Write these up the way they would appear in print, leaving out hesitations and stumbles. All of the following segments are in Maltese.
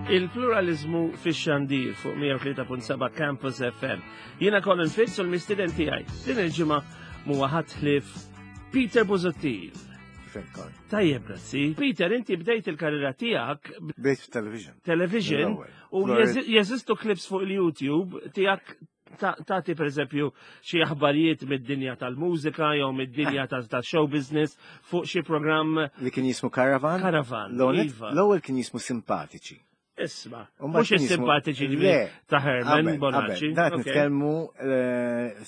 Il-pluralizmu fix-xandir fuq 103.7 Campus FM. Jiena Colin Fitz u l-mistieden tiegħi. Din il-ġimgħa huwa ħadd ħlief Peter Busuttil. Tajjeb, grazzi. Peter, inti bdejt il-karriera tiegħek Bdejt television. Television u jeżistu clips fuq il-YouTube tiegħek tagħti pereżempju xi aħbarijiet mid-dinja tal-mużika jew mid-dinja ta' show business fuq xi programm li kien jismu Caravan. Caravan. Iva. L-ewwel kien jismu Simpatiċi. Isma, mhux is-simpatiċi ġifieri ta' Herman Bonacci. Dak nitkellmu eh,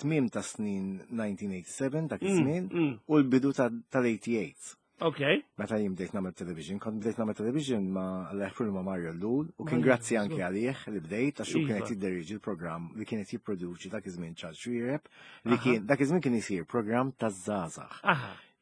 tmiem ta' snin 1987 dak mm, iż-żmien mm. u l-bidu tal-88. Ok. Meta jien bdejt nagħmel television, kont bdejt nagħmel television ma' l ma' Mario Llul u kien grazzi anke għalih li bdejt għax hu kien qed jidderieġi l-programm li kien qed jipproduċi dak iż-żmien Charles Xuereb li kien dak iż-żmien kien isir programm taż-żgħażagħ.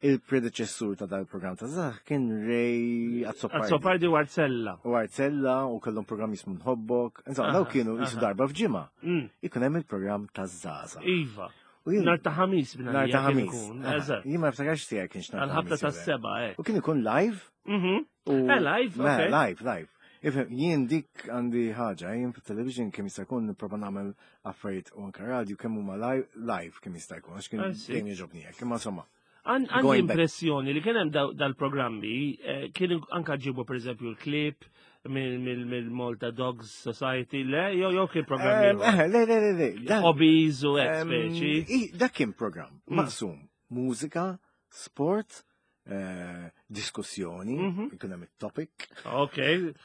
Il-predeċessur ta' dal-programm ta' żgħażagħ kien Ray Azzopardi. Azzopardi u Arzella. U Arzella u kellhom programm jismu Nħobbok. Insomma, daw kienu jisu darba f'ġimgħa. Mm. Ikun hemm il-programm taż-żgħażagħ. Iva. Nar ta' ħamis minn Nar ta' ħamis. Eżatt. Jien ma niftakarx tiegħek kienx nar. Għal-ħabta ta' seba, eh. U kien ikun live. Mhm. Eh, live, ok. Live, live. Ifhem, jien dik għandi ħaġa, jien fit-television kemm jista' jkun nipprova nagħmel affarijiet u anke radio kemm huma live kemm jista' jkun, għax kien dejjem jogħġobni hekk, imma insomma. Għandi impressjoni li kien hemm dal-programmi, eh, kienu anka ġibu pereżempju l-klip mill-Malta Dogs Society, le, jew jew kien programmi. Eh, eh, le, le, le, le. Hobbies u hekk speċi. Dak kien programm mm. maqsum mużika, sport, eh, diskussjoni, mhm. ikun hemm it-topic. Ok.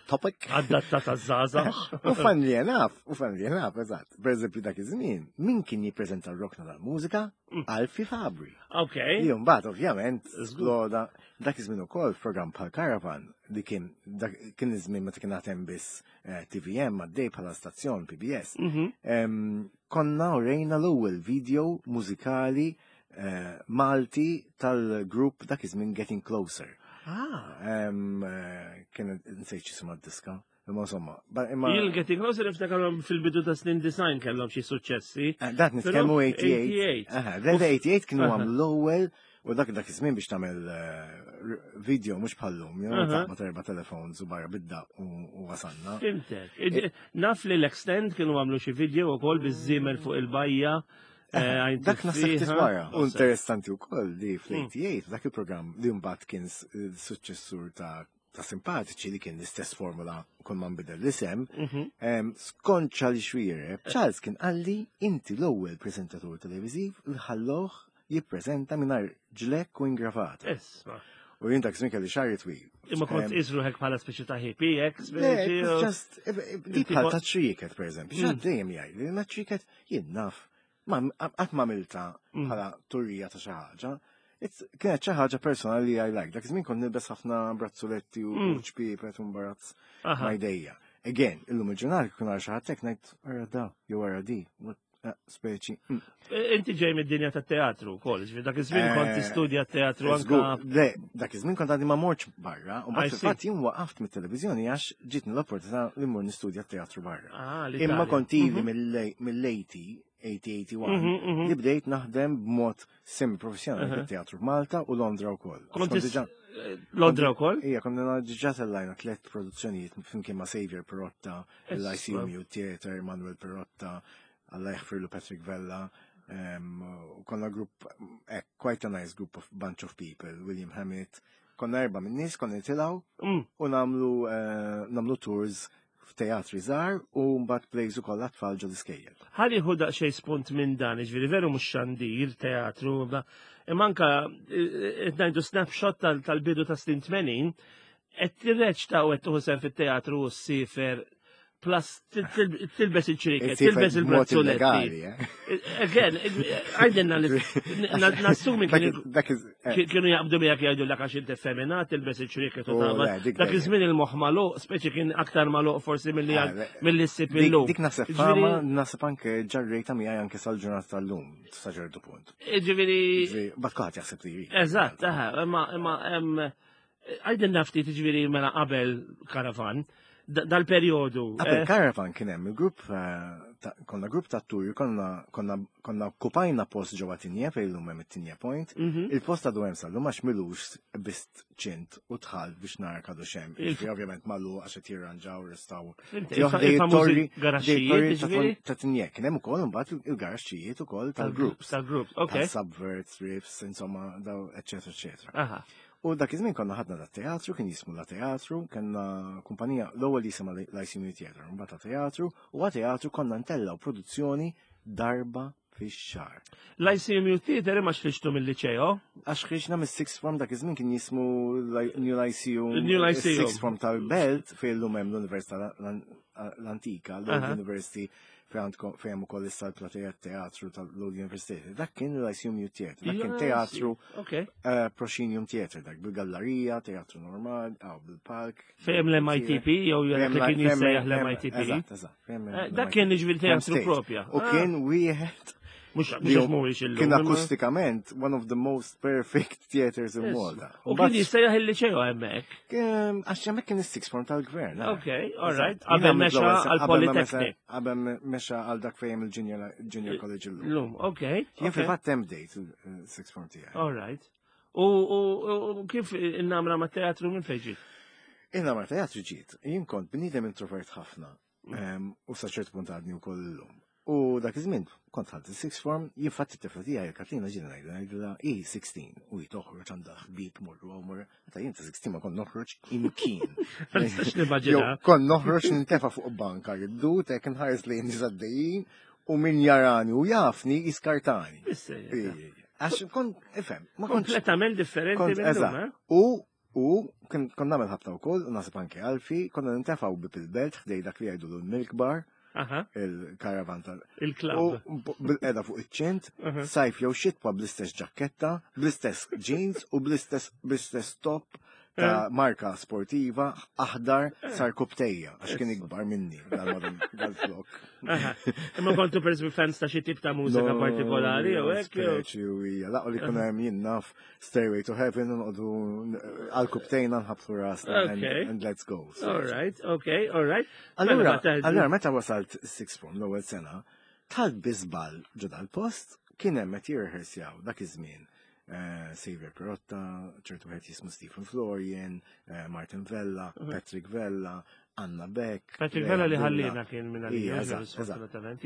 Topic. Adatta ta' żgħażagħ. U fan li naf, u fan li naf, eżatt. Per eżempju dak iż-żmien, min kien jippreżenta r-rokna tal-mużika? Mm. Alfi Fabri. Ok. Li mbagħad ovvjament sploda dak iż-żmien ukoll f'programm bħal Caravan li kien dak kien iż-żmien meta kien għad hemm biss eh, TVM għaddej bħala stazzjon PBS. Mhm. Konna urejna l-ewwel video mużikali Eh, Malti tal-grupp dak iż-żmien Getting Closer. Ah. Eh, kien nsejt x'isma d-diska. Imma insomma. Imma Il Getting Closer niftakarhom fil-bidu ta' snin design kellhom xi suċċessi. Eh, dak nitkellmu 88. L-88 kienu għam l-ewwel u dak dak iż-żmien biex tagħmel video mhux bħallum, jew ta' terba telefons u barra bidda u wasanna. Fimtek. Naf li l-extend kienu għamlu xi video wkoll biż-żiemel fuq il-bajja. Eh, dak naħseb ftit wara. U interessanti wkoll li fl-88 hmm. dak il-programm li mbagħad kien suċċessur ta' ta' simpatiċi li kien l-istess formula kun ma nbidel l-isem, mhm. skont Charlie Xuereb, Charles kien qalli inti l-ewwel preżentatur televiżiv li ħalloh jippreżenta mingħajr ġlekk u ingravata. Isma. U jien dak żmien kelli xagħri twil. Imma kont iżruħek bħala speċi ta' hippie, hekk speċi. Just, eh, eh, di bħal ta' triket, per eżempju. Xi mm. dejjem jgħid li ma triket Jien naf, ma qatt ma milta mm. bħala turija ta' xi ħaġa. Kienet xi ħaġa personali li I like. Dak iż-żmien kont nilbes ħafna brazzuletti u mm. ċpiepet u mbarazz ma' jdejja. Again, illum il-ġurnal kien għal xi ħadd hekk ngħid ara da jew ara di, eh, speċi. Mm. E, inti ġej mid-dinja tat-teatru wkoll, ġifieri dak iż-żmien kont eh, tistudja t-teatru anka. Le, dak iż-żmien kont għadni ma mortx barra, u mbagħad fil-fatt jien waqaft mit-televiżjoni għax ġietni l-opportunità li mmur nistudja t-teatru barra. Ah, Imma kont ili mhm. mill-80, 80-81, mhm, mhm. li bdejt naħdem b'mod semi-professjonali fit-teatru f'Malta u Londra wkoll. Kont eh, Londra wkoll? Ija, konna diġà tellajna tliet produzzjonijiet flimkien ma' Xavier Perotta, l-ICU Theatre, Manuel Perotta, Alla jaħfirlu Patrick Vella, u konna grupp, eh, quite a nice group of bunch of people, William Hammett, konna erba minn nies, konna nitilgħu mm. u namlu, eh, namlu tours f'teatri żgħar u mbagħad plays ukoll għat-tfal ġol iskejjel. Ħalli hu daqsxejn spunt minn dan, jiġifieri veru mhux xandir, teatru, imma anka eh, qed ngħidu snapshot tal-bidu ta' snin 80, qed tirreċta u qed tieħu sehem fit-teatru u ssifer plus tilbes il-ċriket, tilbes il-brazzoletti. Eh? Again, għajdinna li nassumi eh. kienu jaqbdu miegħek jgħidu l għax inti femina, tilbes il-ċriket u oh, tagħmel. Dak iż-żmien il-moħħ magħluq, speċi kien aktar magħluq forsi milli ah, milli ssib illum. Dik naħseb fama, naħseb anke ġarrejta miegħi anke sal-ġurnata tal-lum, sa ċertu punt. Ġifieri. Bat kulħadd jaħseb li Eżatt, imma imma Għajdilna ftit ġifieri mela qabel karavan, dal-perjodu. Qabel eh? karavan kien hemm il-grupp eh, konna grupp ta' atturi, konna konna konna okkupajna post ġewwa Tinja fejn illum hemm it-Tinja Point. Il-post għadu hemm sal-lum għax milux bist ċint u dħalt biex nara għadu x'hemm. Jiġifieri ovvjament magħluq għax qed jirranġaw restawr. Il-famużi garaxxijiet, jiġifieri? Ta' Tinja kien hemm ukoll imbagħad il-garaxxijiet ukoll tal-groups. Tal-groups, ok. Subverts, riffs, insomma, daw, eċetera, eċetera. U dak iż-żmien konna ħadna da teatru, kien jismu la teatru, kellna kumpanija l-ewwel jisimha l-ICU Theater, mbagħad la teatru, u għat teatru konna ntellgħu produzzjoni darba fix-xahar. L-ICMU Theater imma xħriġtu mill-liċeo? Għax ħriġna mis-sixth form dak iż-żmien kien jismu New Lyceum. New Lyceum. Sixth form tal-Belt fejn illum hemm l-Università l-Antika, l-Old University fejn hemm ukoll issa l-plateja teatru tal-Old University. Dak kien l-Lyceum New Theatre, dak kien teatru eh, Proscenium Theatre, dak bil-gallerija, teatru normal, aw bil-palk. Fejn l-MITP jew jekk kien jissejjaħ l-MITP. Eżatt, eżatt. Eh, dak kien jiġifieri teatru propja. U kien wieħed Mux mhuwiex illum. Kien akustikament one of the most perfect theaters in Malta. U kien jissejjaħ il-liċeo hemmhekk. Għax hemmhekk kien is-sixth form tal-gvern. Eh. Ok, all right. Qabel mexa għal-Polytechnic. Qabel mexa għal dak fejn il-Junior College illum. Illum, ok. Jien fil-fatt hemm bdejt il-sixth form tiegħi. All right. U kif in-namra ma' teatru minn fejn ġiet? In-namra teatru ġiet. Jien kont bniedem introvert ħafna. Mm. U sa ċertu punt għadni wkoll illum. U dak iż-żmien kont ħadd is-sixth form, jien fatt it-tifla tiegħi Katlina ġiena ngħidha ngħidilha hi 16 u hi toħroġ għandha ħbieb morru hawn morru. Meta jien ta' 16 ma kont noħroġ imkien. Ma nistax nimmaġina. Kont noħroġ nintefa' fuq banka jiddu tek nħares lejn nies għaddejjin u min jarani u jafni jiskartani. Għax kont, ifhem, ma kont. Kompletament differenti minn eh? U U kont nagħmel ħabta wkoll, u naħseb anke Alfi, konna nintefgħu bib il-belt ħdej dak li jgħidu l-milk bar, il-karavan tal. Il-club. U bil-qeda fuq iċ-ċint, sajf jew xitwa bl-istess ġakketta, bl-istess jeans u bl-istess bl-istess top ta' eh. marka sportiva aħdar eh. sar kubtejja għax kien ikbar minni dal-flok. Imma kontu per fans ta' xi tip ta' mużika partikolari jew hekk. Speċi u hija laqgħu li kuna hemm jien naf Stairway to Heaven nqogħdu għal kubtejna nħabtu rasna and let's go. All right, okay, all right. Allura, mela, allura meta wasalt sixth form l-ewwel sena, tal biżbal ġo dal-post kien hemm qed jirrehersjaw dak iż-żmien. Eh, Xavier Perotta, ċertu wieħed jismu Stephen Florian, eh, Martin Vella, mhm. Patrick Vella, Anna Beck. Patrick Vella li ħallina kien minn għalija, sfortunatament.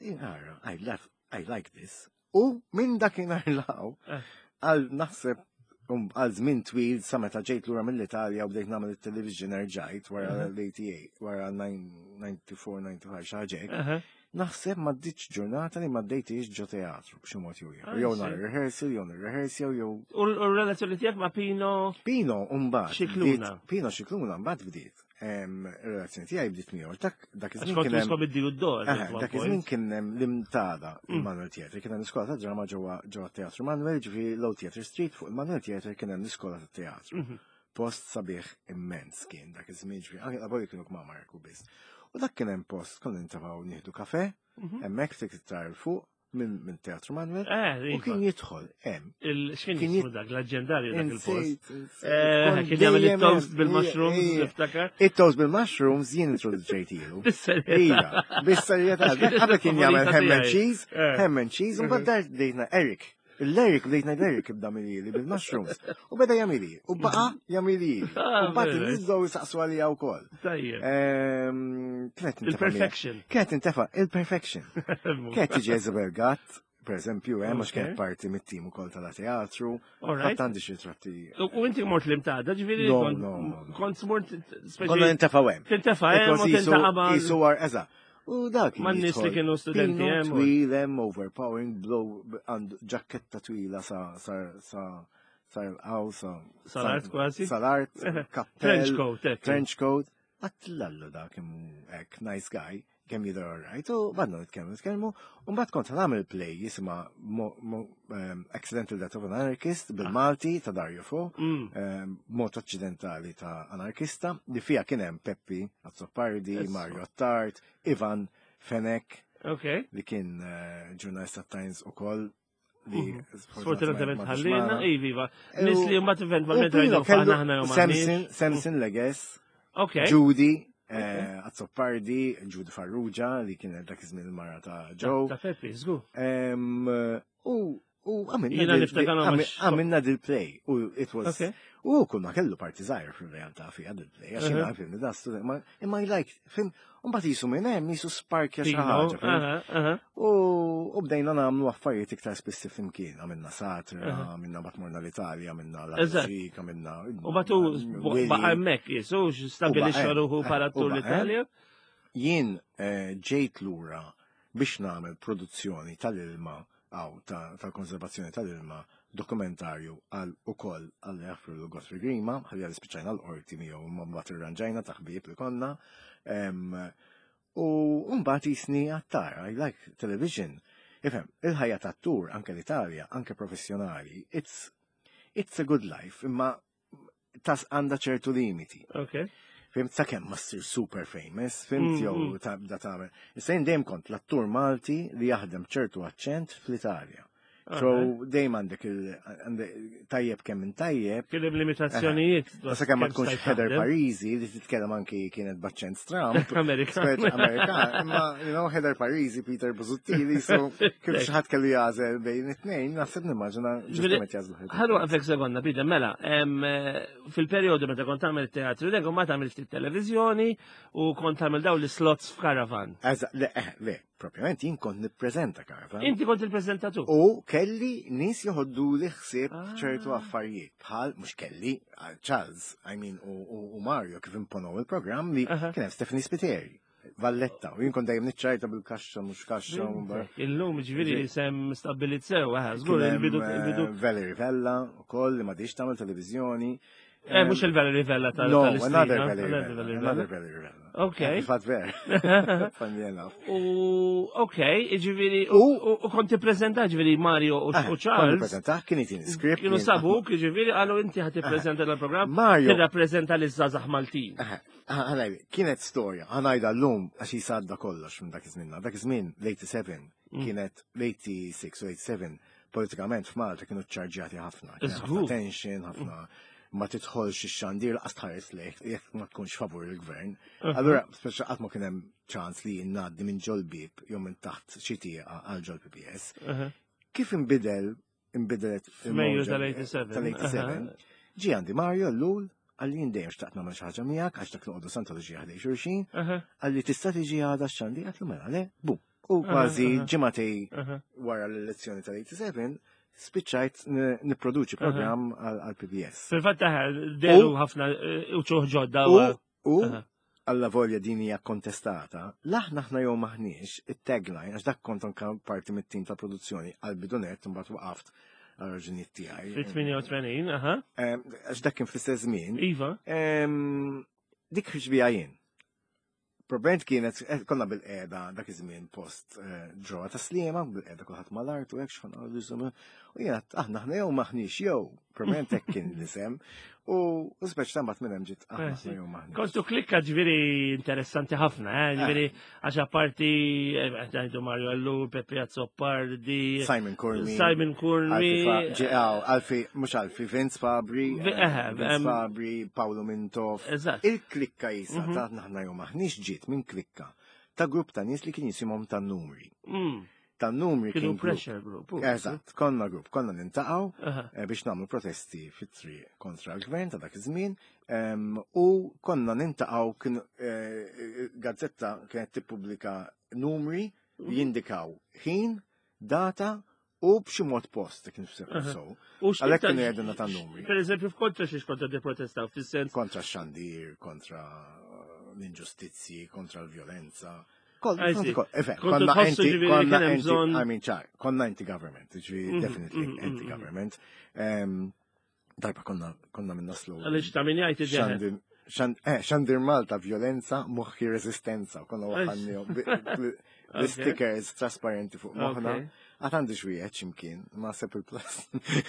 Iva. I like this. U minn dakinhar law, eh. għal naħseb um, għal żmien twil sa meta ġejt lura mill-Italja u bdejt nagħmel it-television erġajt wara mhm. l-88, wara 94-95 xi ħaġa Naħseb ma ddiċ ġurnata li ma ddejtix ġo teatru b'xi mod jew ieħor. Jew nhar rehearsal, jew rehearsal, jew. U r-relazzjoni tiegħek ma' Pino? Pino mbagħad. Xikluna. Pino Xikluna mbagħad bdiet. Ir-relazzjoni tiegħi bdiet miegħu. Dak dak iż-żmien kien hemm id d-dor. Dak iż-żmien kien hemm l-imtada mm. il-Manuel Theatre, kien hemm l-iskola ta' drama ġewwa ġewwa Teatru Manuel, ġifieri Low Theatre Street fuq il-Manuel Theatre kien hemm l-iskola ta' teatru. Mhm. Post sabiħ immens kien dak iż-żmien ġifieri anke qabel kienu kmamar biss. U dak kien hemm post konna nintafgħu nieħdu kafe, mhm. hemmhekk ftit iktar fuq, minn Teatru Manuel. Eh, u iva. kien jidħol hemm. X'kien jismu dak l-aġġendarju dak il-post. Eh, kien jagħmel it-toast bil-mushrooms, niftakar. It-toast bil-mushrooms jien introduċejtilu. Bis-serjetà. Iva, bis-serjetà. Qabel kien jagħmel ham and cheese, eh. ham and cheese, u mbagħad dar dejna Eric. L-Eric bdejt ngħid Eric ibda milili bil-mushrooms. U beda jagħmili. U baqa jagħmili. Ah, u mbagħad in-nies bdew jisaqsu għalija wkoll. Tajjeb. Ehm, kienet Il-perfection. Kienet intefa' il-perfection. Kienet tiġi Isabel Gatt, per eżempju, hemm għax kienet parti mit-tim ukoll tal-teatru. Ħadd għandi xi tratti. U inti mort l-imtada, ġifieri kont mort speċi. Konna nintefa' hemm. Tintefa' hemm u tintaqa' ma' Isu eżatt. U dak. Man nies li kienu studenti hemm. Twil hemm overpowering blow għandu ġakketta twila sa sa sa sa l-qaw sa. Sal-art kważi. Sal-art, kappell. Trench coat, Trench coat. Għatlallu dak hekk nice guy kemm jidher alright, u badna nitkellmu, nitkellmu, u mbagħad kont nagħmel play jisimha Accidental Death of an Anarchist bil-Malti ta' Dario Fo, mm. mod aċċidentali ta' anarkista, li fija kien hemm Peppi Azzopardi, Mario Attard, Ivan Fenek, okay. li kien eh, ġurnalista Times u koll li mhm. sfortunatament ħallina, iva, nis li mbagħad eventwalment rajdu aħna jew Samson, Samson Leges, Judy. Azzopardi, Jude Farrugia, li kienet dak iż-żmien il-mara ta' Joe. Ta' Peppi, żgur. U għamilna dil-play. U it was. U kull ma kellu parti żgħira fil-realtà fiha dil-play. Għax jiena fim da student, imma I like, fim, u mbagħad jisu minn hemm jisu sparkja xi ħaġa. U bdejna nagħmlu affarijiet iktar spissi flimkien, għamilna satra, għamilna bat morna l-Italja, għamilna l-Ġik, għamilna. U batu baqa' hemmhekk jisu stabilixxa ruħu bħala tur l-Italja. Jien eh, ġejt lura biex nagħmel produzzjoni tal-ilma għaw tal-konservazzjoni tal-ilma dokumentarju għal ukoll għal jaffru l Godfrey Grima, ħalli għal spiċajna l-qorti miegħu ma mbagħad irranġajna ta' ħbieb li konna. U mbagħad jisni għattar, I like television. Ifhem, il-ħajja tat-tur anke l-Italja, anke professjonali, it's it's a good life, imma tas għandha ċertu limiti. Okay. Fimt sakemm ma ssir super famous, fimt jew tibda tagħmel. Issa jien dejjem kont l-attur Malti li jaħdem ċertu aċċent fl-Italja. So dejjem għandek il tajjeb kemm minn tajjeb. Kien hemm limitazzjonijiet. Sa kemm ma tkunx Heather Parisi li titkellem anki kienet b'aċċent Trump. Amerikan. Amerikan. Imma you know Heather Parisi, Peter Busuttil, so kif xi ħadd kellu jagħżel bejn it-tnejn, naħseb nimmaġina ġustament jagħżlu Heather. Ħallu għafek sekonda, Peter, mela, fil-perjodu meta kont tagħmel teatru, dek ma tagħmel ftit televiżjoni u kont tagħmel dawn l-slots f'karavan. Eżatt, le, eh, le, Propjament jien kont nippreżenta Caravan. Inti kont il-preżentatur. U kelli nies joħoddu li ħsieb ah. ċertu affarijiet bħal mhux kelli ah, Charles, I mean u Mario kif imponow il-programm li kien hemm Stephanie Spiteri. Valletta, u jien kont dejjem niċċajta bil-kaxxa mhux kaxxa. Illum ġifieri sem stabbilit sew, eh, żgur il-bidu il-bidu. Eh, Valerie Vella ukoll li ma tagħmel televiżjoni. Eh, mux il-Valerie Vella tal No, another Valerie Vella. Another Valerie Vella. Ok. Fat ver. Funny enough. U, ok, ġiviri, u konti prezenta ġiviri Mario u eh, Charles. Konti prezenta, kien jtini script. Kienu sabuk, ġiviri, għallu inti ħati eh. prezenta l-program. Mario. Tirrapprezenta l-żazax Maltin. Eh, kienet storja, ħanajda l-lum għax jisadda kollox minn dak iż-żmien. Dak iż-żmien, l-87, kienet l-86 u 87, politikament f'Malta kienu ċarġjati ħafna. Ħafna tension, ħafna ma tidħolx ix-xandir laqas tħares lejk jekk ma tkunx favur il-gvern. Allura, speċa qatt ma kien hemm ċans li ngħaddi minn ġol bib jew minn taħt xi tieqa għal ġol PPS. Kif inbidel inbidelet F'Mejju tal-87. Tal-87. Ġi għandi Mario l-lul għalli jien dejjem xtaqt nagħmel xi ħaġa miegħek għax dak noqogħdu Santa Luċija ħdej xulxin, għalli tista' tiġi għada x'għandi għatlu mela le, bum. U kważi ġimgħatej wara l-elezzjoni tal-87 spiċċajt nipproduċi programm għal PBS. Fil-fatt deru ħafna eh, uċuħ ġodda. U alla volja din hija kontestata, laħna aħna jew maħniex it-tagline għax dak kont anka parti mit-tim ta' produzzjoni għal bidunet imbagħad waqaft għal raġunijiet tiegħi. Fit-88, aha. Għax dak kien fl-istess żmien. Iva. Dik ħriġ bija jien. Probablement kienet, eh, konna bil-qeda dak iż-żmien post eh, ġewwa ta' Sliema, bil-qeda kulħadd mal-art u hekk x'ħan qal U jiena aħna aħna jew maħniex jew, probablement hekk kien l-isem. U speċ ta' mbagħad minn hemm ġiet aħna aħna jew maħniex. Kontu klikka ġifieri interessanti ħafna, eh, ġifieri għax apparti ngħidu Mario Allur, Pepe Azzopardi, Simon Curmi. Simon Curmi. Alfi, mhux Alfi, Vince Fabri, Vince Fabri, Paolo Mintoff. Eżatt. Il-klikka jisa ta' aħna jew maħniex ġiet minn klikka ta' grupp ta' nies li kien jisimhom ta' numri. Ta' numri kienu pressure group. Eżatt, konna grupp, konna nintaqgħu eh, biex nagħmlu protesti fit-triq kontra l-gvern ta' dak iż-żmien u konna nintaqgħu kien eh, gazzetta kienet tippubblika numri li jindikaw ħin, data u b'xi mod post kien so. Għalhekk kienu jgħidulna ta' numri. Per eżempju, f'kontra xiex kontra tipprotestaw fis-sens. Kontra x-xandir, kontra l-inġustizzji, kontra l-vjolenza. Konna anti, konna anti, I mean, ċar, konna anti-government, ġifieri mhm, definitely mhm, mhm, anti-government. Darba konna konna minn naslu. Għaliex ta' min jgħid id eh, Xandir Malta violenza, moħħi resistenza, konna waħanni stickers trasparenti fuq moħħna. Għat għandi xwieħed ximkien, ma sepp il-plus.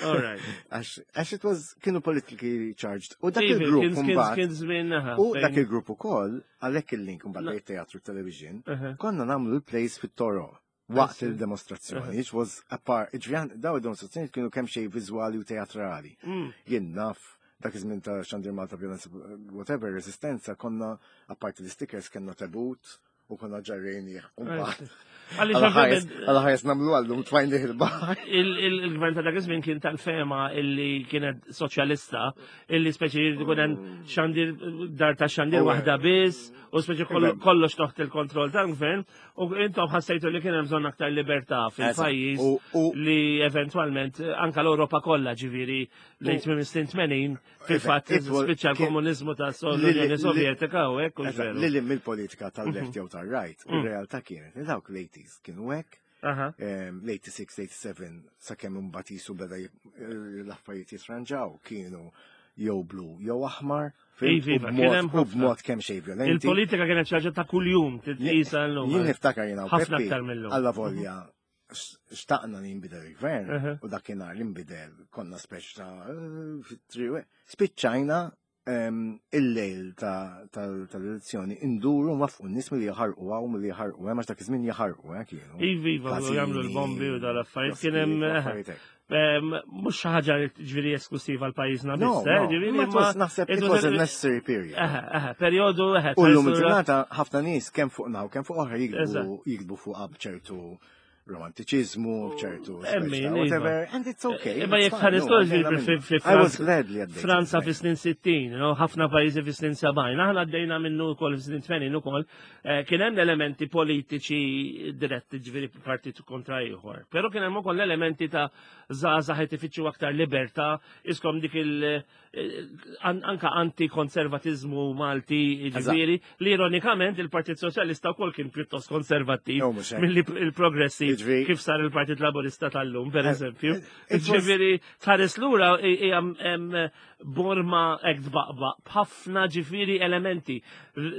Għax it was kienu politically charged. U dak il-grupp mbagħad. U dak il-grupp ukoll, għalhekk il-link mbagħad bejn teatru television, konna nagħmlu l-plays fit-toro waqt il-demonstrazzjoni, which was a part, ġvjan, daw il-demonstrazzjoni kienu kemm xej viżwali u teatrali. Jien naf Dak iż-żmien ta' Xandir Malta Violence, whatever, resistenza, konna, apparti l-stickers, kellna tebut u konna ġarrejnih. Għalla ħares namlu għallum tfajnih il-baħar. Il-gvern ta' dak iż-żmien kien tal-fema illi kienet soċjalista, illi speċi jkun hemm mm. xandir dar ta' xandir oh, waħda biss, u speċi kollox taħt il-kontroll tal-gvern, u intom ħassejtu li kien hemm bżonn aktar libertà fil-pajjiż li eventwalment anka l-Ewropa kollha ġifieri lejn tmiem is-snin 80 fil-fatt spiċċa l-komuniżmu ta' l-Unjoni Sovjetika u hekk u veru. Lili mill-politika tal-left mhm. jew tal-right, mm. ir-realtà kienet li dawk l-80s kienu hekk, l-86, 87 sakemm imbagħad jisu beda l-affarijiet jitranġaw kienu jew blu jew aħmar. Iva, u b'mod kemm xejn violenti. Il-politika kienet xi ħaġa ta' kuljum titqisa llum. Jien niftakar jiena ħafna aktar mill-lum. Alla volja xtaqna li jinbidel il-gvern u dakinhar li nbidel konna speċ ta' fit-triq. Spiċċajna il-lejl tal-elezzjoni induru nwafqu n-nies milli jaħarqu hawn milli jaħarqu hemm għax dak iż-żmien jaħarqu eh, kienu. Iva, iva, jagħmlu l-bombi u dal-affarijiet kien hemm eh, mhux xi ħaġa ġifieri esklusiva l pajjiżna biss, eh, ġifieri ma naħseb it was a necessary period. Eh, perjodu eh. U llum il-ġurnata ħafna nies kemm fuq naw kemm fuq oħra jiktbu fuq b'ċertu romantiċizmu, ċertu. Whatever, and it's okay. Imma jek ħares Franza fi snin 60, ħafna pajjiżi fi snin 70, aħna għaddejna minnu wkoll fi snin 80 ukoll, eh, kien hemm elementi politiċi diretti ġifieri partit kontra ieħor. Però kien hemm ukoll elementi ta' żgħażagħ qed ifittxu aktar libertà, iskom dik il- eh, anka anti-konservatizmu Malti ġifieri li ironikament il-Partit Soċjalista wkoll kien pjuttost konservattiv milli il-progressiv kif sar il-Partit Laburista tal-lum, per eh, eżempju. Eh, ġifieri tħares lura hija borma hekk tbaqbaq b'ħafna ġifieri elementi.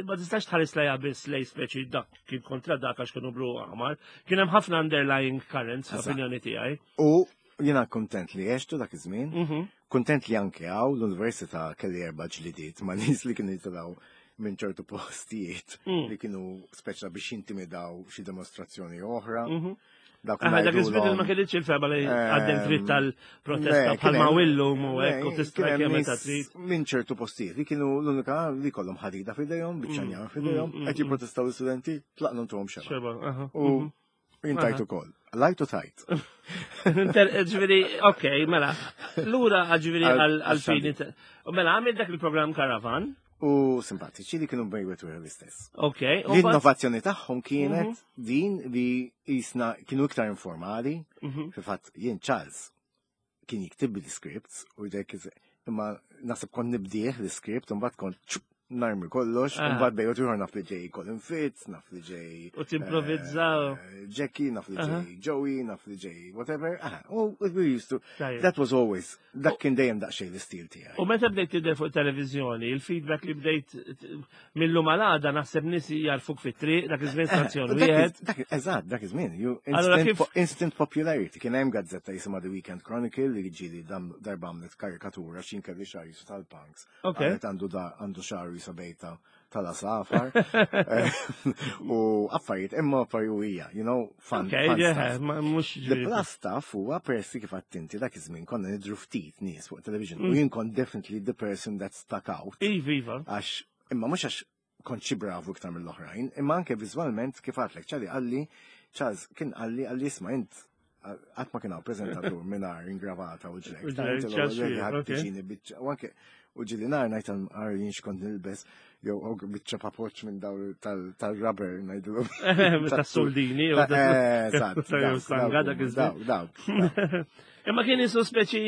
Ma tistax tħares lejha biss lej speċi dak kien kontra dak għax kienu blu aħmar. Kien hemm ħafna underlying currents, opinjoni tiegħi. U Jiena kuntent li għextu dak iż-żmien, mhm. kuntent li anke hawn l-università kelli erba' ġlidiet ma' nies li kienu jitilgħu minn ċertu postijiet mm. li kienu speċa biex jintimidaw xi dimostrazzjoni oħra. Mhm. Dak dak iż-żmien ma kellitx il-fema li għaddem dritt tal-protesta bħalma illum u hekk u tista' kemm meta trid. Minn ċertu postijiet li kienu l-unika li kollhom ħadida f'idejhom, biċċa mm. f'idejhom, mm, qed jipprotestaw l-istudenti, tlaqna ntuhom xeba. U mhm. Jien tajt ukoll. Lajt u tajt. Ġifieri, ok, mela. Lura ġifieri għal-fini. Mela għamil dak il-programm Caravan. U simpatiċi li kienu bejwet u l-istess. Ok. L-innovazzjoni tagħhom kienet mhm. din li jisna kienu iktar informali. Mhm. Fil-fatt jien Charles kien jiktib l-scripts u jdek imma naħseb kont nibdieħ l-script u mbagħad kont narmi kollox, u mbagħad bejgħu ieħor naf li ġej Colin Fitz, naf li ġej. U timprovizza. Eh, Jackie, naf li ġej Joey, naf li ġej whatever. Ah, u we used to. That was always, dak kien dejjem daqsxejn l-istil tiegħi. U meta bdejt tidher fuq televiżjoni, il-feedback li bdejt Millu malada naħseb nies jarfuk fit-triq dak iż-żmien eh, stazzjon wieħed. Eżatt, dak iż-żmien. Instant popularity. Kien hemm gazzetta jisimha The Weekend Chronicle li ġieli darba għamlet karikatura x'in kelli xahar jisu tal-punks. Għalet għandu għandu xahar jisu bejta tal-asafar. Eh, u affarijiet, imma affarijiet hija, you know, fun. mhux The plus stuff huwa persi kif għattinti dak iż-żmien konna nidru ftit nies fuq television. U mm. jien kont definitely the person that stuck out. Iva, iva. Għax, imma mhux għax kont xi bravu iktar mill-oħrajn, imma anke viżwalment kif għatlek, ċali għalli, Charles kien għalli għalli isma' int qatt ma kien hawn preżentatur mingħajr ingravata u ġlek. U anke u ġili nar ngħid għal jien xkont nilbes jew biċċa papoċ minn daw tal-rubber ngħidilhom. Tas-soldini. Dawk. Imma kien jisu speċi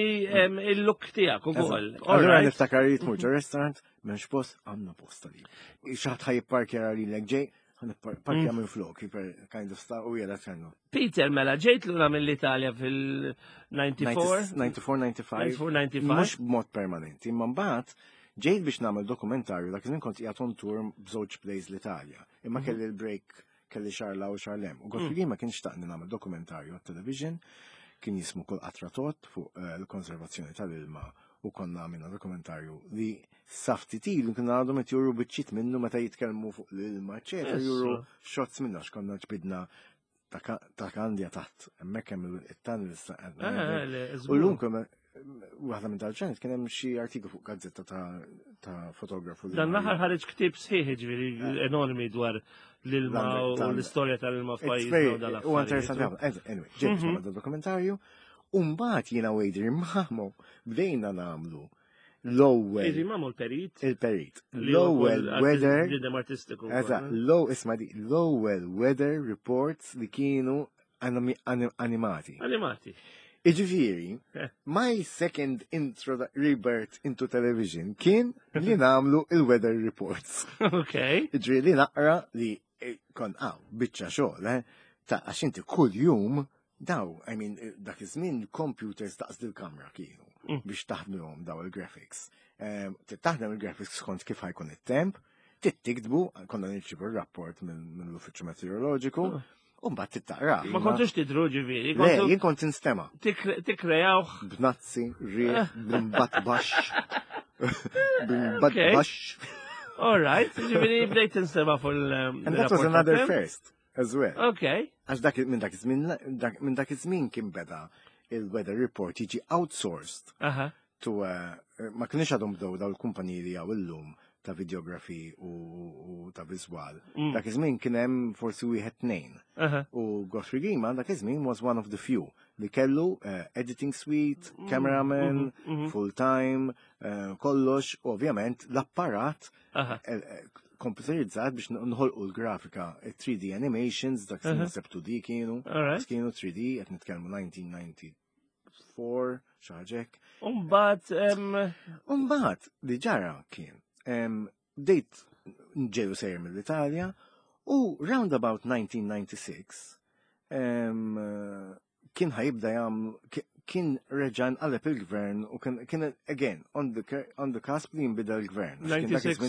il-look tiegħek ukoll. Allura niftakar li tmur ġo restaurant, m'hemmx post, għandna posta li. Xi ħadd ħa jipparkja lilek ġej, parkja minn flok, kind of stuff, u jela ċennu. Peter, mela, ġejt lura mill-Italja fil-94? 94, 95. 94, Mhux b'mod permanenti, imma mbagħad ġejt biex nagħmel dokumentarju dak iż-żmien kont qiegħed on tour b'żewġ plays l-Italja. Imma mhm. kelli l-break kelli xarla u xarlem. U Godfrey mm. ma kienx taqni nagħmel dokumentarju għat-television, kien jismu kull qatra tot fuq eh, l-konservazzjoni tal-ilma u konna għamilna dokumentarju li safti ilu kien għadhom qed juru biċċiet minnu meta jitkellmu fuq l-ilma, eċetera, juru shots minnu għax konna ġbidna ta' kandja taħt, hemmhekk hemm it-tunnel. Eh, u l-lum Waħda minn dal-ġranet kien hemm xi artiklu fuq gazzetta ta' fotografu. Dan l-aħħar ħareġ ktieb sħiħ ġifieri eh. enormi dwar l-ilma u l-istorja tal-ilma f'pajjiżna. U interessanti ħafna. Anyway, ġejt mhm. dokumentarju. U mbagħad jiena u Adrian Mamo bdejna nagħmlu l-ewwel. Adrian Mamo l-perit. Il-perit. L-ewwel weather. Bniedem artistiku. Eżatt, low isma' di l-ewwel weather reports li kienu animati. Animati. Iġifieri, eh. my second intro rebirth into television kien li namlu il-weather reports. Ok. Iġifieri li naqra li eh, kon għaw, biċċa xogħol, eh, ta' għax inti kull jum daw, I mean, eh, dak iż-żmien computers daqs dil-kamra kienu mm. biex taħdmuhom daw il-graphics. Ehm, taħdem il-graphics skont kif ħajkun it-temp, tittiktbu, konna nirċivu r-rapport mill-Uffiċċju Meteoroloġiku, ah. u mbagħad tittaqra. Ma kontux tidru ġifieri. Le, jien kont instema. Tikkrejawh. B'nazzi, riħ, b'imbat baxx. B'imbat baxx. All right, ġifieri bdejt tinstema fuq il- And that was another first as well. Okay. Għax dak minn dak iż-żmien minn dak iż-żmien kien beda il-weather report jiġi outsourced. Aha. To uh, ma kienx għadhom bdew daw il-kumpaniji li hawn illum ta' videografi u, u ta' viżwal. Dak iż-żmien kien hemm forsi wieħed tnejn. Aha. U Godfrey Grima dak iż-żmien was one of the few li kellu uh, editing suite, cameraman, full time, uh, kollox, u ovvjament l-apparat Aha. Eh, eh, computerizzat biex nħolqu l-grafika, 3D animations, dak uh -huh. 2D kienu, kienu 3D, qed nitkellmu 1994, xaġek. Umbat, Umbat, li ġara kien, bdejt ġeju sejjer mill-Italja u round about 1996 kien ħajibda jam kien reġa' nqaleb il-gvern u kien kien again on the on the cusp li jinbidel il-gvern. 96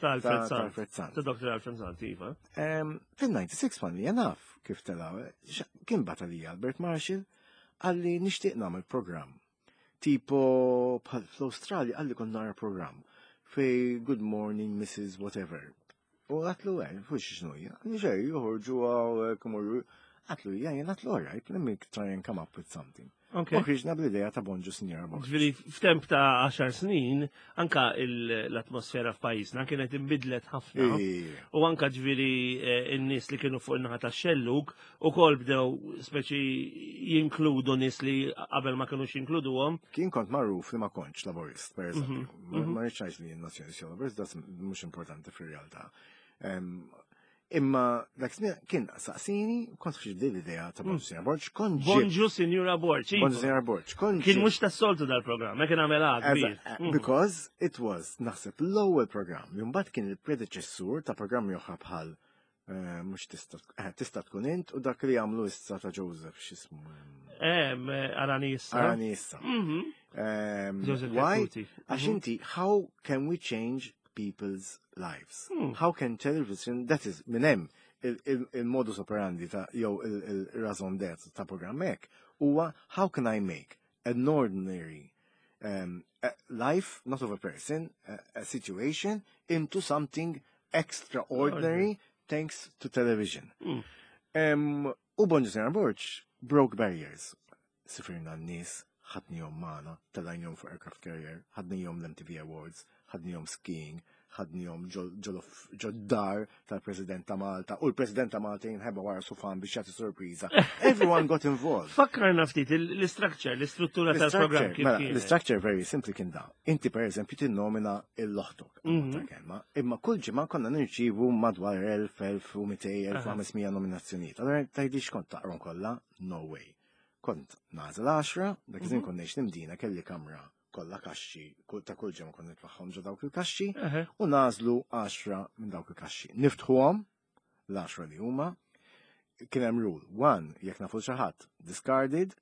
ta' Alfred Sant. Ta' Dr. Alfred Sant, iva. Fil-96 man li naf kif tela' kien batalija Albert Marshall għalli nixtieq nagħmel programm. Tipo bħal fl-Awstralja għalli kont nara programm fej Good Morning Mrs. Whatever. U għatlu għen, eh, fux xnu hija, xej, joħorġu għaw, eh, kumurru. Għatlu hija, jien għatlu all right, let me try and come up with something. Okay. U ħriġna bl-idea ta' Bonġu Sinjora Borg. Ġifieri f'temp ta' 10 snin, anka l-atmosfera f'pajjiżna kienet inbidlet ħafna. U anka ġifieri eh, n-nies li kienu fuq in-naħa tax-xellug ukoll bdew speċi jinkludu nies li qabel ma kinux jinkluduhom. Kien kont magħruf li ma kontx laborist, per eżempju. Mhm, mhm. Ma rridx ngħid li jien nazzjonist jew laborist, das mhux importanti fir-realtà. Imma dak żmien kien saqsini, kont fxi bdej l-idea ta' Bonġu Sinjora Borġ, kont Bonġu Sinjura Borġ. Iva. Bonġu Sinjora Borġ, kont Kien mhux tas-soltu dal-programm, ma kien għamel kbir. Eh, mhm. Because it was naħseb l-ewwel programm li mbagħad kien il-predeċessur ta' programmi oħra bħal eh, mhux eh, tista' tkun int u dak li għamlu issa ta' Joseph x'ismu. Eh, Arani issa. Arani issa. Mhm. Ehm, why? Għax mhm. inti, how can we change people's lives. Hmm. How can television, that is, minn hemm il-modus operandi ta' jew il-raison d'être ta' programm hekk huwa how can I make an ordinary um, life, not of a person, a, a situation, into something extraordinary thanks to television. Mm. Um, u Bonġu Sena Borġ broke barriers. Sifirna n-nies, ħadnihom magħna, tellajnihom fuq aircraft carrier, ħadnihom l-MTV Awards, ħadnihom skiing, ħadnihom ġod-dar tal-President ta' Malta, u l-President ta' Malta jinħeba wara sufan biex jagħti sorpriża. Everyone got involved. Fakkarna ftit l-istructure, l-istruttura tal-programm kif mela, kienet. L-istructure very simply kien da. Inti per eżempju tinnomina l-oħtok, mhm. kelma, imma kull ġimgħa konna nirċievu madwar 1000, 1200, 1500 nominazzjonijiet. Allora tgħidix kont taqrom kollha? No way. Kont nagħżel 10, dak iż-żmien mhm. kont ngħix l-Imdina kelli kamra kollha kaxxi, ta' kull ġimgħa kont nitfaħħom ġo dawk il-kaxxi u nagħżlu 10 minn dawk il-kaxxi. Niftħuhom l-10 li huma. Kien hemm rule. One, jekk nafu xi ħadd, discarded.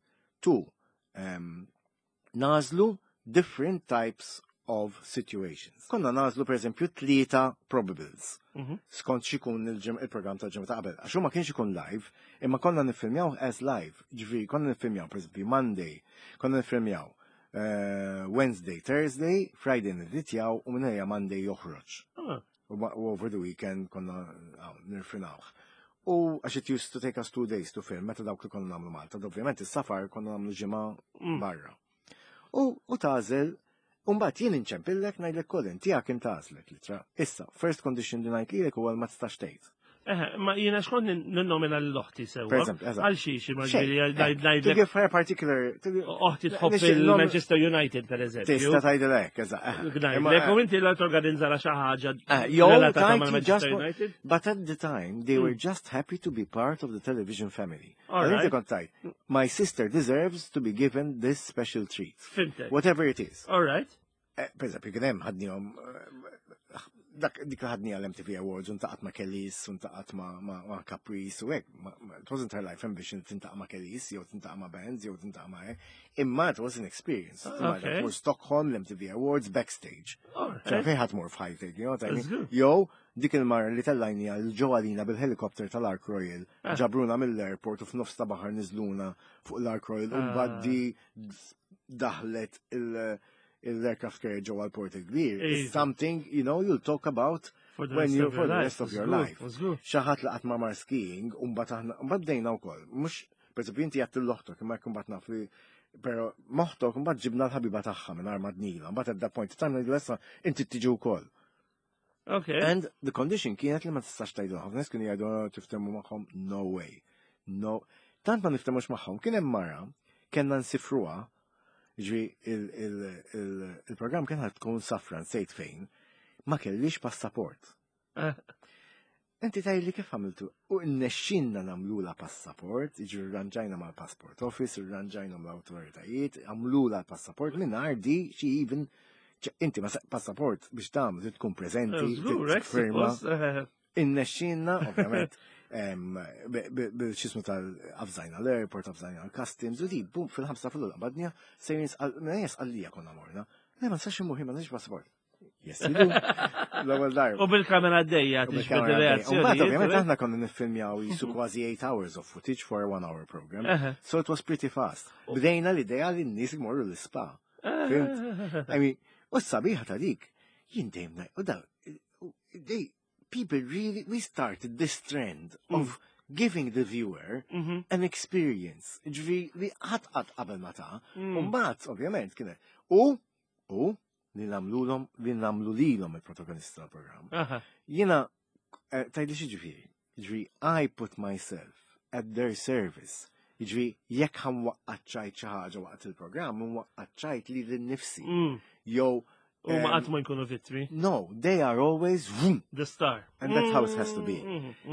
Two, nagħżlu different types of situations. Konna nagħżlu per eżempju tlieta probables. Mhm. Skont xikun il-programm tal-ġimgħa ta' qabel. Għax ma kienx ikun live, imma konna niffilmjaw as live. Ġifieri konna niffilmjaw per eżempju Monday, konna niffilmjaw eh, Wednesday, Thursday, Friday niditjaw u minn Monday joħroġ. Ah. U over the weekend konna nirfinawh. U għax it used to take us two days to film, meta dawk li konna namlu Malta. Ovvjament is-safar konna namlu ġimgħa mm. barra. U tagħżel U mbagħad jien inċempillek ngħidlek Colin, tiegħek intgħażlet l-ittra. Issa, first condition li ngħid lilek huwa ma tistax tgħid. Eh, ma jiena xkont ninnomina l-oħti sewa. Per eżempju, eżatt. Għal xiex, ma Xejn, ġifieri eh, To ngħidlek give her particular. oħti tħobb Nixtieq il-Manchester United, per eżempju. Tista' tgħidilek, eżatt. eh. Imma, Ngħidlek, u inti la torganizza xi ħaġa Jew relatata tgħid you mal-Manchester just United. But at the time, they were just happy to be part of the television family. All Għal inti right. kont tgħid, my sister deserves to be given this special treat. Fimtek. Whatever it is. All right. Eh, Per eżempju, kien hemm ħadnihom eh, dak dik li ħadni għal MTV Awards u ntaqat ma' Kelis u ntaqat ma' ma' ma' Caprice u hekk. It wasn't her life ambition tintaqa' ma' Kelis jew tintaqa' ma' bands jew tintaqa' ma' hekk. Imma it was an experience. Okay. Mur Stockholm, l-MTV Awards, backstage. All ċe right. fejn ħadd mur f'ħajtek, you know what I mean? That's good. Jew dik il-mara li tellajni għal ġo għalina bil-helikopter tal-Ark Royal, Ah. ġabruna mill-airport u f'nofs ta' baħar niżluna fuq l-Ark Royal u Ah. mbagħad di daħlet il-aircraft carrier ġewwa l-port il-kbir. Iva. It's something, you know, you'll talk about For the when rest you of for your the life. rest of your Żgur, life. żgur. Xi ħadd laqat ma' mar skiing u mbagħad aħna mbagħad bdejna wkoll. Mhux per eżempju inti għedt 'l oħtok imma jekk imbagħad naf li però m'oħtok mbagħad ġibna l-ħabiba tagħha minn arma dnila, mbagħad at that point in time ngħidu issa inti tiġi wkoll. Okay. And the condition kienet li ma tistax tgħidu ħafna nies kienu jgħidu "Oh, tiftehmu magħhom, no way. No. Tant ma niftemux magħhom, kien hemm mara kellna nsifruha, ġifieri il-programm kien ħad tkun safra nsejt fejn, ma kellix passaport. Inti tgħidli kif għamiltu? U nnexxinna nagħmlula passaport, ġifieri rranġajna mal-passport office, rranġajna mal-autoritajiet, għamlula l-passaport minn di she even inti ma passaport biex tagħmel trid tkun preżenti, Żgur, hekk firma. suppost, Innexxinna, ovvjament, bil-xismu tal-avżajna l-airport, avżajna l-customs, u di, bum, fil-5 fil qabadnija, sejrin sqallija konna morna. Le, ma nistax immur, ma nistax passaport. Yes, you do. L-ewwel darba. U bil-kamera għaddejja, U tiġbed bil-kamera għaddejja. U mbagħad, il-reazzjoni. ovvjament, aħna konna niffilmjaw jisu kważi 8 hours of footage for a one hour program. So it was pretty fast. Bdejna l-idea li n-nies imorru l-spa. Fhimt? I mean, u s-sabiħa ta' dik, jien dejjem ngħid, u da, they, people really, we started this trend of giving the viewer an experience. Ġifieri li ħadd qatt qabel ma ta, u mbagħad ovvjament kien u li nagħmlulhom li nagħmlu lilhom il-protagonista tal-programm. Jiena tgħidli xi ġifieri. Ġifieri I put myself at their service. Ġifieri jekk ħa nwaqqaċċajt xi ħaġa waqt il-programm, nwaqqaċċajt li nnifsi. Jew U ma qatt ma jkunu vittmi. No, they are always vroom, The star. and that's how it has to be.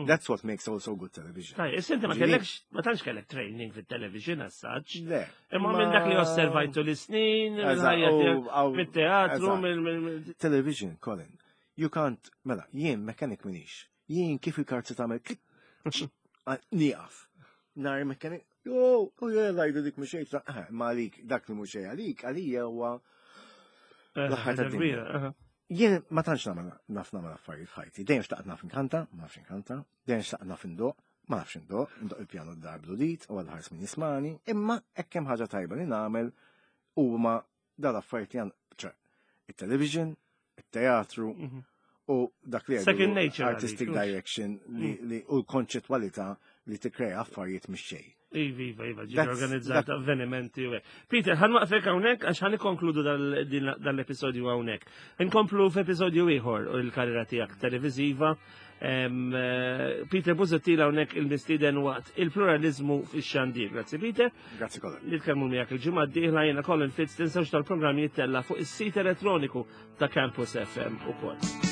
That's what makes also good television. Taj, issa inti ma Ġifieri- kellekx, ma tantx kellek training fit-television as such. Le. Imma minn dak li osservajtu l-snin, Eżatt, mill-ħajja tiegħek, mit-teatru, eżatt. mill. Television, Colin, you can't, mela, jien mechanic minix. Jien kif il-karti tagħmel klik, nieqaf. Nar mechanic, oh, oh yeah, lajdu dik mhux xejn, ma għalik, dak li mhux xejn għalik, għalija huwa L-aħħar Ħaġa tad-dinja. kbira, aha. Jien ma tantx nagħmel naf nagħmel affarijiet f'ħajti. Dejjem xtaqt naf inkanta, ma nafx inkanta, dejjem xtaqt naf indoq, ma nafx indoq, indoq il-pjano d-dar bludit u għal ħars min jismani, imma hekk hemm ħaġa tajba li nagħmel huma dal-affarijiet li għan, ċe, it-television, it-teatru u dak li Second jgħidu nature artistic għalik, hux? direction li u l-konċettwalità li tikkrea affarijiet mix xejn. Iva, iva, iva, ġi That's- organizzat avvenimenti u hekk. Peter, ħa nwaqfek hawnhekk għax ħa nikkonkludu dal-episodju hawnhekk. Inkomplu f'episodju ieħor u l-karriera tiegħek televiżiva. Peter Busuttil hawnhekk il-mistieden waqt il-pluralizmu fix-xandir. Grazzi Peter. Grazzi kollha. Nitkellmu miegħek il-ġimgħa d-dieħla jiena Colin Fitz tinsewx tal-programm jittella fuq is-sit elettroniku ta' Campus FM ukoll.